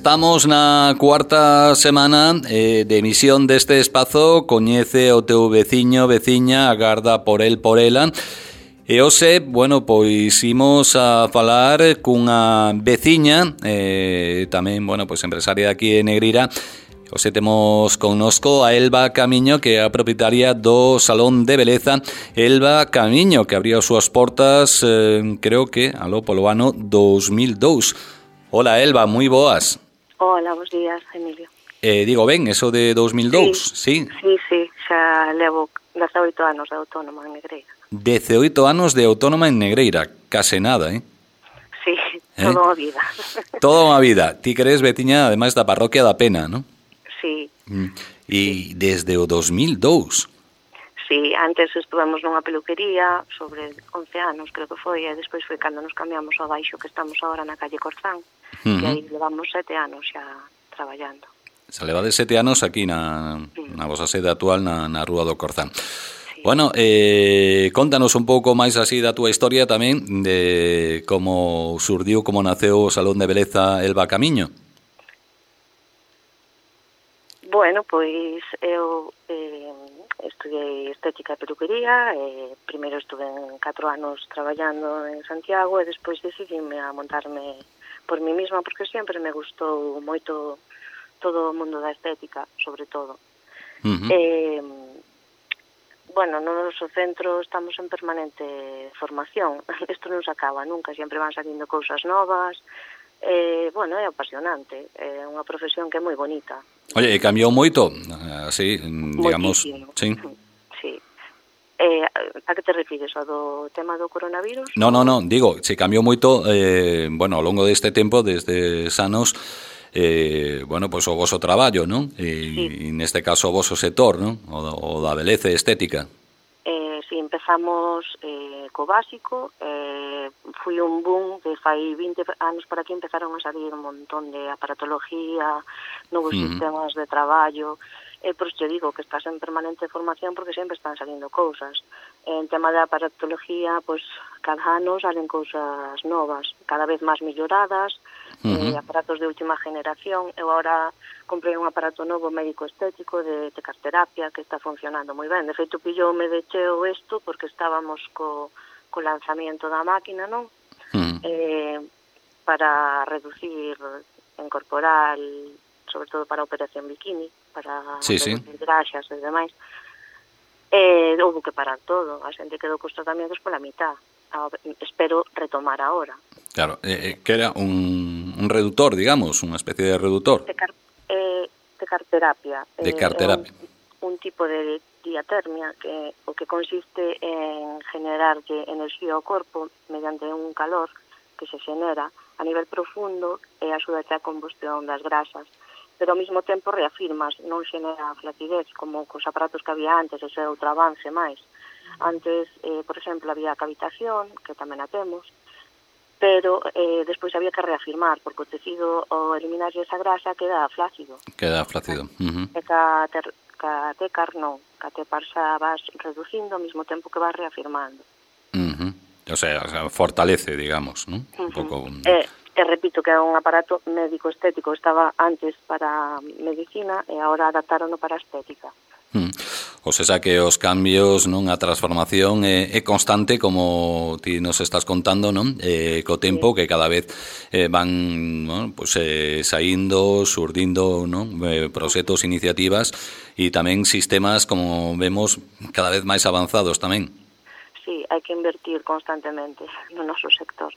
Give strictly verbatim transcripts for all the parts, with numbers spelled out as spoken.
estamos na cuarta semana eh, de emisión deste espazo Coñece o teu veciño, veciña, agarda por el, por ela. E hoxe, bueno, pois imos a falar cunha veciña, eh, tamén, bueno, pois empresaria aquí en Negreira. Hoxe temos connosco a Elba Camiño, que é a propietaria do Salón de Beleza Elba Camiño, que abría as súas portas, eh, creo que, aló, polo ano dos mil dous. Hola, Elba, moi boas. Hola, bons días, Emilio. Eh, digo ben, eso de dos mil dous, sí? Sí, sí, sí, xa levo dezaoito anos de autónoma en Negreira. dezaoito anos de autónoma en Negreira, case nada, eh? Sí, eh? toda unha vida. Toda unha vida. Ti que eres veciña, ademais da parroquia da Pena, non? Sí. E desde o dos mil dous? Sí, antes estuvemos nunha peluquería sobre once anos, creo que foi, e despois foi cando nos cambiamos ao baixo que estamos agora na calle Corzán, uh-huh. E aí levamos sete anos xa traballando. Se leva de sete anos aquí na, na vosa sede actual na, na Rúa do Corzán. Sí. Bueno, eh, contanos un pouco máis así da túa historia tamén, de como surdiu, como naceu o Salón de Beleza Elba Camiño. Bueno, pois eu eh, estudiei estética e peluquería, e primeiro estuve en catro anos traballando en Santiago e despois decidíme a montarme por mí mesma porque sempre me gustou moito todo o mundo da estética, sobre todo. Uh-huh. Eh, bueno, no noso centro estamos en permanente formación, isto non se acaba nunca, sempre van salindo cousas novas. Eh, bueno, é apasionante, é unha profesión que é moi bonita. Oye, e cambiou moito, así, digamos, moitísimo. Sí. Sí. Eh, a que te refires, ao do tema do coronavirus? No, no, no, digo, se cambiou moito, eh, bueno, ao longo deste tempo, desde anos, eh, bueno, pois pues, o voso traballo, non? E, sí. E neste caso o voso sector, non? O, o da beleza estética. Eh, si, sí, empezamos eh, co básico, eh, fui un boom de fai vinte anos por aquí, empezaron a salir un montón de aparatología, novos uh-huh. sistemas de traballo, e eh, por iso digo que estás en permanente formación porque sempre están salindo cousas. En tema de aparatología, pois cada ano salen cousas novas, cada vez máis melloradas, uh-huh. eh, aparatos de última generación. Eu agora comprei un aparato novo médico estético de tecarterapia que está funcionando moi ben. De feito, pilloume de cheo isto porque estábamos co, co lanzamiento da máquina, non? Uh-huh. Eh, para reducir en corporal, sobre todo para a operación bikini, para sí, sí. graxas e demais. Eh, houve que parar todo, a xente quedou cos tratamentos pola mitad. A, espero retomar agora. Claro, eh, que era un, un reductor, digamos, unha especie de reductor. Tecar, eh, tecarterapia. Tecarterapia. Eh, un, un tipo de diatermia que o que consiste en generarlle enerxía ao corpo mediante un calor que se xenera a nivel profundo e axuda a combustión das grasas. Pero ao mesmo tempo reafirmas, non xenera flacidez como cos aparatos que había antes, ese outro avance máis. Antes, eh, por exemplo, había cavitación, que tamén a temos, pero eh, despois había que reafirmar, porque o tecido, ao eliminarlle esa grasa, queda flácido. Queda flácido. Uh-huh. E ca, ter, ca tecar non, ca tepar xa vas reducindo ao mesmo tempo que vas reafirmando. Uh-huh. O sea, fortalece, digamos, ¿no? Uh-huh. Un pouco... Eh, E repito que é un aparato médico estético, estaba antes para medicina e agora adaptarono para estética. Hmm. O sea que os cambios, non, a transformación é, é constante, como ti nos estás contando, non? Eh, co tempo sí. Que cada vez eh, van, bueno, pues, eh, saindo, surdindo, non? Eh, proxectos, iniciativas e tamén sistemas, como vemos, cada vez máis avanzados tamén. Sí, hai que invertir constantemente no noso sector.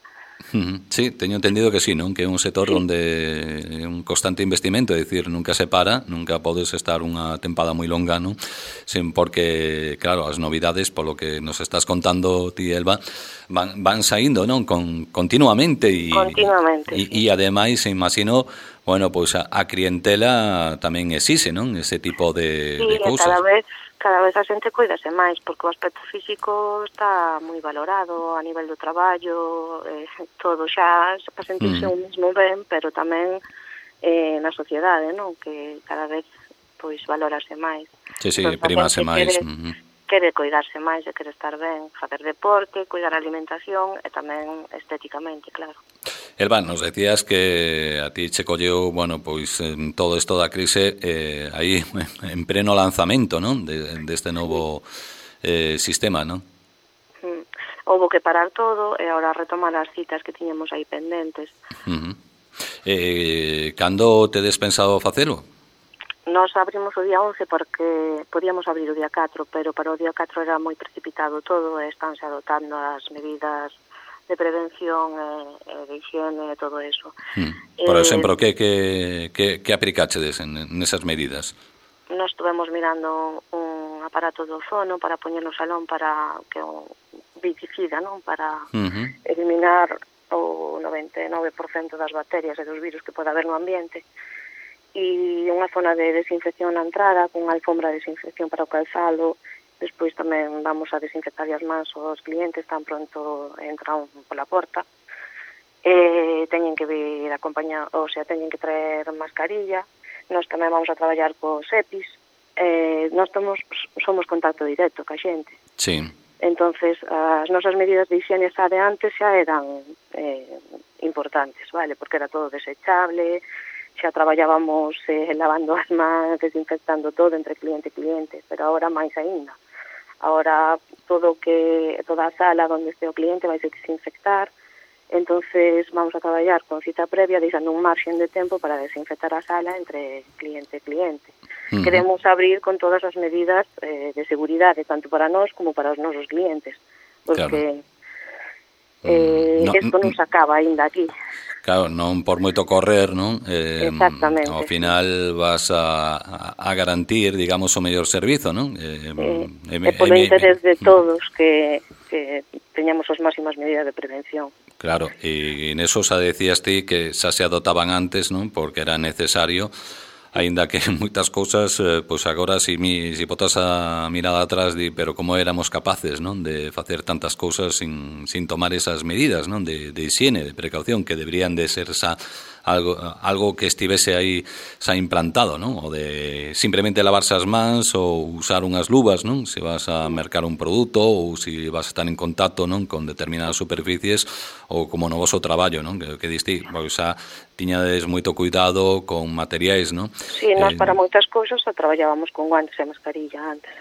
Sí, teño entendido que sí, non? Que é un sector sí. Onde é un constante investimento, é dicir, nunca se para, nunca podes estar unha tempada moi longa, non? Sen porque, claro, as novidades, polo que nos estás contando ti, Elba, van, van saindo, non? Con, continuamente e, continuamente, e, sí. E ademais, imagino, bueno, pois pues, a, a clientela tamén existe, non? Ese tipo de, sí, de cousas. Cada vez cada vez a xente cuídase máis, porque o aspecto físico está moi valorado a nivel do traballo, eh, todo xa para sentirse mm. un mismo ben, pero tamén eh, na sociedade, non? Que cada vez pois valorase máis. Sí, sí, entón, primase máis. Quere, uh-huh. quere cuidarse máis, quere estar ben, facer deporte, cuidar a alimentación e tamén estéticamente, claro. Elba, nos decías que a ti che colleu, bueno, pois en todo isto da crise eh, aí en pleno lanzamento, non? De, deste novo eh, sistema, non? Mm. Houbo que parar todo e agora retomar as citas que tiñamos aí pendentes. Uh -huh. Eh, cando tedes pensado facelo? Nos abrimos o día once porque podíamos abrir o día catro, pero para o día catro era moi precipitado todo e estánse adoptando as medidas de prevención e, e de higiene e todo eso. Hmm. Por eh, exemplo, que, que, que, que aplicáchedes en, en esas medidas? Nos estuvemos mirando un aparato de ozono para poñer no salón para que o viticida, non? Para uh -huh. eliminar o noventa e nove por cento das bacterias e dos virus que pode haber no ambiente. E unha zona de desinfección na entrada, con alfombra de desinfección para o calzado. Despois tamén vamos a desinfectar as mans aos clientes tan pronto entran pola porta. E teñen que vir acompañar, ou sea, teñen que traer mascarilla. Nós tamén vamos a traballar cos EPIs. Eh, nós tomos, somos contacto directo ca xente. Sí. Entonces, as nosas medidas de higiene xa de antes xa eran eh, importantes, vale? Porque era todo desechable, xa traballábamos eh, lavando as mans, desinfectando todo entre cliente e cliente, pero agora máis aínda. Ahora todo que toda a sala onde este o cliente vai se desinfectar, entonces vamos a traballar con cita previa, deixando un marxen de tempo para desinfectar a sala entre cliente e cliente. Uh -huh. Queremos abrir con todas as medidas eh, de seguridade, tanto para nós como para os nosos clientes, porque claro. eh, no, isto non se acaba aínda aquí. Claro, non por moito correr, non? Eh, Exactamente. Ao final vas a, a garantir, digamos, o mellor servizo, non? Eh, eh, e polo interés de todos que, que teñamos as máximas medidas de prevención. Claro, e neso xa decías ti que xa se adotaban antes, non? Porque era necesario, aínda que moitas cousas, eh, pois agora si, mi, si botas a mirada atrás, di, pero como éramos capaces, non? De facer tantas cousas sin, sin tomar esas medidas, non? De, de higiene, de precaución, que deberían de ser xa algo, algo que estivese aí xa implantado, non? O de simplemente lavarse as mans ou usar unhas luvas, non? Se vas a mercar un produto ou se vas a estar en contacto, non? Con determinadas superficies ou como no voso traballo, non? Que, que diste, pois xa tiñades moito cuidado con materiais, non? Sí, nós eh, para moitas cousas xa traballábamos con guantes e mascarilla antes.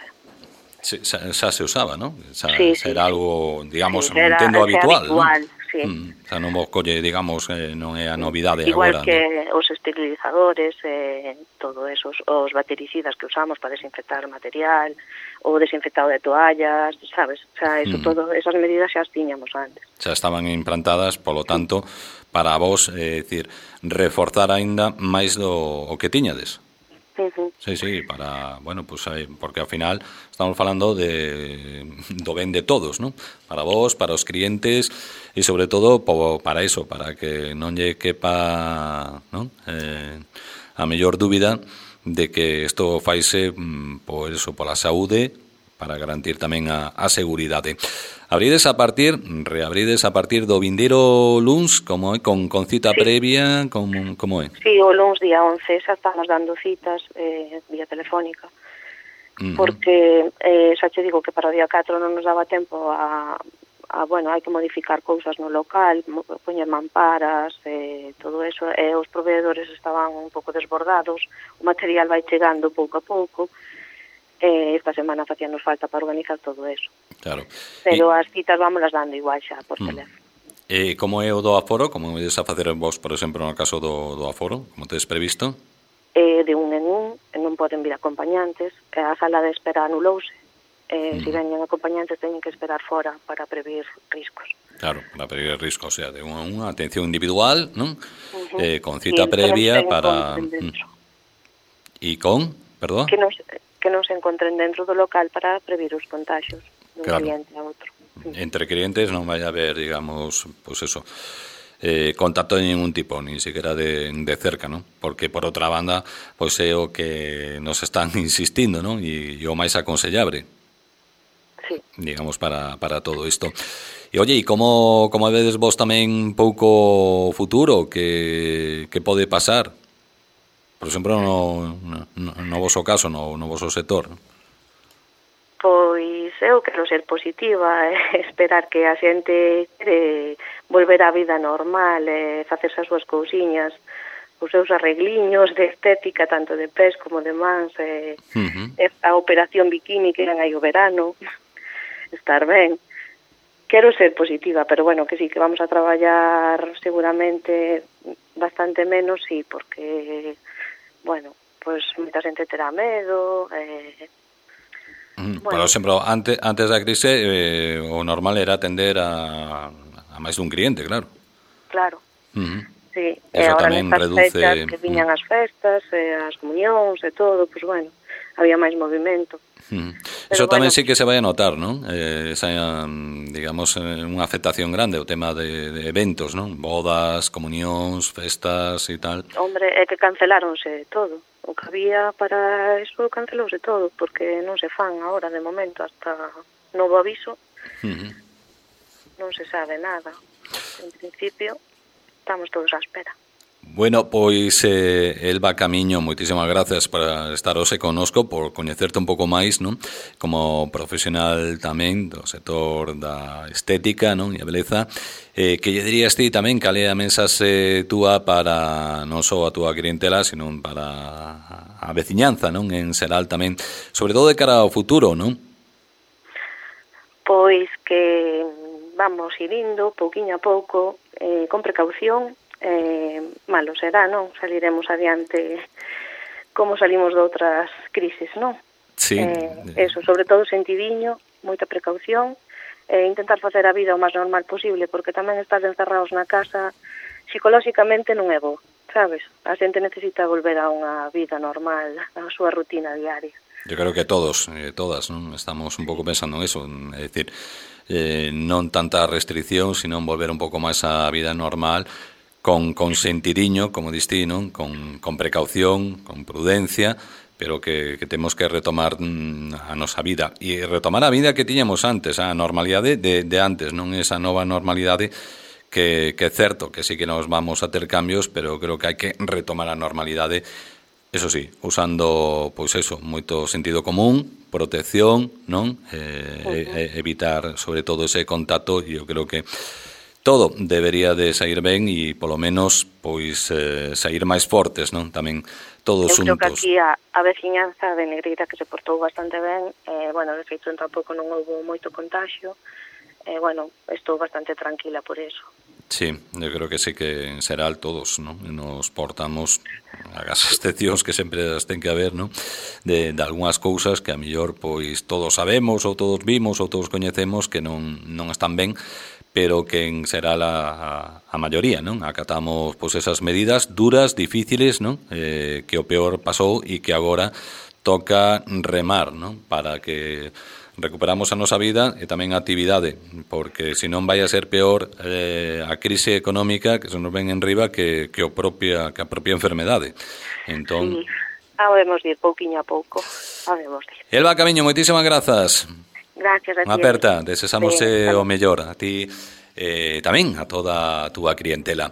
Se, xa, xa se usaba, non? Xa, sí, xa sí, era sí. algo, digamos, sí, era, entendo habitual, habitual, non? Sí. Mm, xa non vos colle, digamos, eh, non é a novidade igual agora. Igual que non? Os esterilizadores, eh, todo eso, os bactericidas que usamos para desinfectar material, o desinfectado de toallas, sabes? O sea, eso mm. todo, esas medidas xa as tiñamos antes. Xa estaban implantadas, polo tanto, para vos, é eh, dicir, reforzar aínda máis do o que tiñades. Uh -huh. Sí, sí, para, bueno, pues aí, porque ao final estamos falando de do ben de todos, ¿no? Para vos, para os clientes e sobre todo po, para eso, para que non lle quepa, ¿no? Eh, a mellor dúbida de que isto faise por eso, pola saúde, para garantir tamén a, a seguridade. Abrides a partir, reabrides a partir do vindeiro luns, como é, con, con cita sí. previa, como, como é? Sí, o luns día once, xa estamos dando citas eh, vía telefónica, uh -huh. porque eh, xa che digo que para o día catro non nos daba tempo a, a bueno, hai que modificar cousas no local, poñer mamparas, eh, todo eso, e os proveedores estaban un pouco desbordados, o material vai chegando pouco a pouco, eh, esta semana facíanos falta para organizar todo eso. Claro. Pero e... as citas vámonos dando igual xa por mm. teléfono. E como é o do aforo? Como vedes a facer vos, por exemplo, no caso do, do aforo? Como tedes previsto? Eh, de un en un, non poden vir acompañantes, a sala de espera anulouse. Eh, mm. Se veñen acompañantes teñen que esperar fora para prever riscos. Claro, para prever riscos, o sea, de unha, unha atención individual, non? Uh -huh. eh, con cita sí, previa para... E con, perdón? Que non, que non se encontren dentro do local para prever os contagios dun claro. cliente a outro. Entre clientes non vai a haber, digamos, pues eso, eh, contacto de ningún tipo, ni siquiera de, de cerca, ¿no? Porque, por outra banda, pois pues, é o que nos están insistindo, ¿no? E, e o máis aconsellable, sí. digamos, para, para todo isto. E, oye, e como, como vedes vos tamén pouco futuro que, que pode pasar? Por exemplo, no, no, no voso caso, no, no voso sector, ¿no? Pois eu quero ser positiva e esperar que a xente quere volver á vida normal, e facerse as súas cousiñas, os seus arregliños de estética, tanto de pés como de mans, e, uh-huh. e a operación bikini que eran aí o verano, estar ben. Quero ser positiva, pero bueno, que sí, que vamos a traballar seguramente bastante menos, sí, porque, bueno, pues moita xente terá medo, eh, mm, bueno. Por exemplo, antes, antes da crise, eh, o normal era atender a, a máis dun cliente, claro. Claro, uh-huh. Sí, e agora nestas reduce... fechas que viñan as festas, e as comunións e todo, pues bueno, había máis movimento. Hmm. Eso tamén bueno, sí que se vai a notar, non? Eh, esa, digamos, unha afectación grande, o tema de, de eventos, non? Bodas, comunións, festas e tal. Hombre, é que canceláronse todo. O que había para eso cancelouse todo, porque non se fan agora, de momento, hasta novo aviso. Uh-huh. Non se sabe nada. En principio, estamos todos á espera. Bueno, pois eh, Elba Camiño, moitísimas gracias por estar hoxe connosco, por coñecerte un pouco máis, non? Como profesional tamén do sector da estética, non? E a beleza. Eh, que lle dirías ti tamén cal é a mensaxe túa para non só a túa clientela, sino para a veciñanza, non? En xeral tamén, sobre todo de cara ao futuro, non? Pois que vamos ir indo pouquiño a pouco, eh, con precaución. Eh, malo será, non? Saliremos adiante como salimos de outras crisis, non? Sí. Eh, eso, sobre todo sentidiño, moita precaución, e eh, intentar facer a vida o máis normal posible, porque tamén estar encerrados na casa psicolóxicamente non é bo, sabes? A xente necesita volver a unha vida normal, a súa rutina diaria. Yo creo que todos, eh, todas, non? Estamos un pouco pensando en eso, é dicir, eh, non tanta restricción, sino volver un pouco máis á vida normal, con, con sentidiño, como distí, non? Con, con precaución, con prudencia, pero que, que temos que retomar mm, a nosa vida. E retomar a vida que tiñamos antes, a normalidade de, de antes, non esa nova normalidade que, que é certo que sí que nos vamos a ter cambios, pero creo que hai que retomar a normalidade, eso sí, usando, pois eso, moito sentido común, protección, non? Eh, uh-huh. e, evitar, sobre todo, ese contacto, e eu creo que todo debería de sair ben e polo menos pois eh, sair máis fortes, non? Tamén todos xuntos. Eu creo que aquí a, a veciñanza de Negreira que se portou bastante ben, eh, bueno, de feito tampouco non houve moito contagio, eh, bueno, estou bastante tranquila por eso. Sí, eu creo que sí que en xeral todos, non? Nos portamos as excepcións que sempre as ten que haber, non? De, de algunhas cousas que a mellor pois todos sabemos ou todos vimos ou todos coñecemos que non, non están ben, pero que en será a, a, a maioría, non? Acatamos pois esas medidas duras, difíciles, non? Eh, que o peor pasou e que agora toca remar, non? Para que recuperamos a nosa vida e tamén a actividade, porque senón vai a ser peor eh, a crise económica que se nos ven en riba que, que, o propia, que a propia enfermedade. Entón... Sí, habemos de ir pouquiño a pouco, habemos de ir. Elba Camiño, moitísimas grazas. Gracias a ti. Unha aperta, desexamos o mellor a ti eh, tamén, a toda a túa clientela.